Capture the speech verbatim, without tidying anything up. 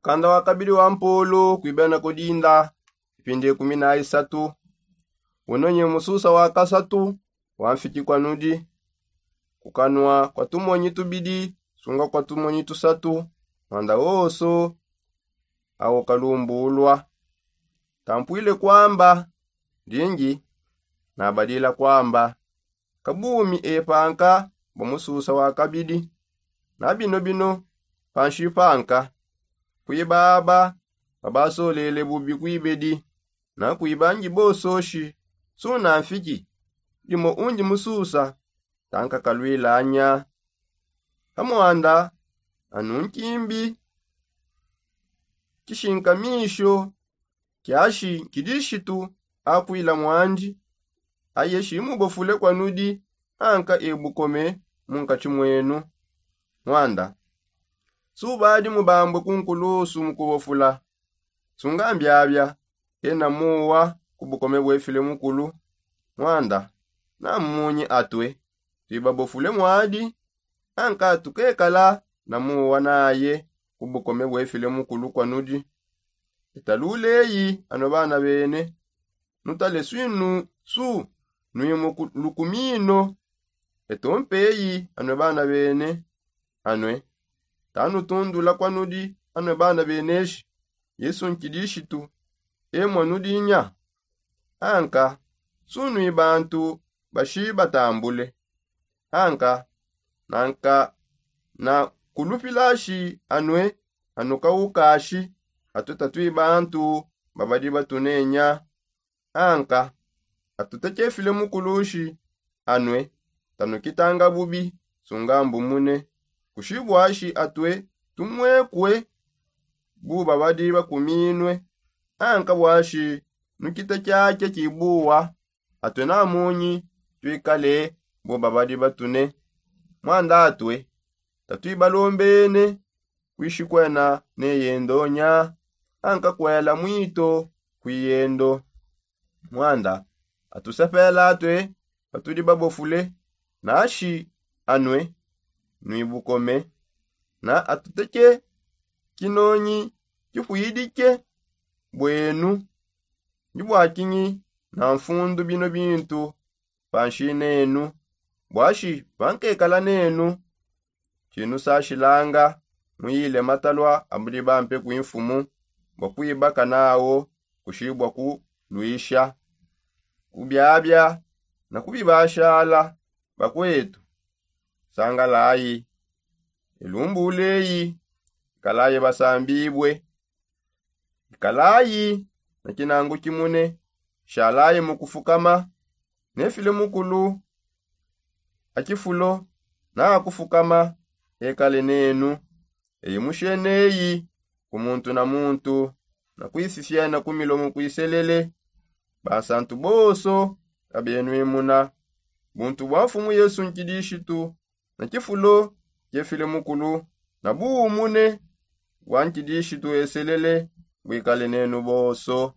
Kanda wa kabidi wa mpolo kuibena kudinda ipindi ikumi na isatu. Uno nye mususa wa kasatu wa mfiki kwa nudi, kukanwa kwa tumonyi tubidi sunga kwa tumonyi tusatu, mwanda woso awo kalumbulwa. Tampwile kwamba dingi nabadila kwamba kabumi epanka bwa mususa wa kabidi. Na bino bino panshi panka kwiba aba babasolele bubi kwibedi na kwiba ngi bososhi suna mfiki dimo undi mususa tanka kalwilanya. Kamwanda anu nkimbi kishinkamisho kiashi kidishitu akwila mwandi aye shimubofule kwa nudi anka ebukome mu nkatshi mwenu. Mwanda subadi mubambwe ku nkulusu mu kubofula sunga mbiabia ena muwa ku bukome bwefile mukulu. Mwanda na mmunyi atue tuibabofule mwadi anka tukekala na muwa naye ku bukome bwefile mukulu kwa nudi. Etaluleyi anue bana bene nutale swinu su nui mu lukumino. Etompeyi anue bana bene anue tanutundula kwa nudi anue bana beneshi yesu nkidishitu emwa nudinya. Anka sunui bantu bashi batambule anka nanka na kulupilashi anue anukaukashi atue tatui bantu babadi batunenya. Anka atute chefile mukulushi anue tanukitanga bubi sunga mbumune kushibwashi atue tumwekue bu babadi bakuminue. Anka bwashi nukite chache chibuwa atue na munyi tuikale bu babadi batune. Mwanda atue tatuibalombene kwishikwena ne yendo nya anka kwela mwito kwi yendo. Mwanda atusepela atue patudi babofule nashi anue nuibukome na atuteke kinonyi kipwidike bwenu. Ndi bwakinyi na mfundu bino bintu panshi nenu bwashi pankekala nenu. Tshinusashilanga muyile matalua abudi bampe kwi mfumu bua kuibaka nawo kushibua kulwisha kubiabia na kubibashala. Bakuetu sangalayi elumbuleyi ikalayi basambibue ikalayi na kinangu kimune shalayi mu kufukama. Nefile mukulu a kifulo na akufukama ekale nenu eyi musheneyi ku muntu na muntu na kwisifyana ku milomo kuiselele bansantu bonso kabenwimuna buntu bwa mfumu yesu nkidishitu na kifulo kefile mukulu na buumune bwa nkidishitu eselele bwikale nenu bonso.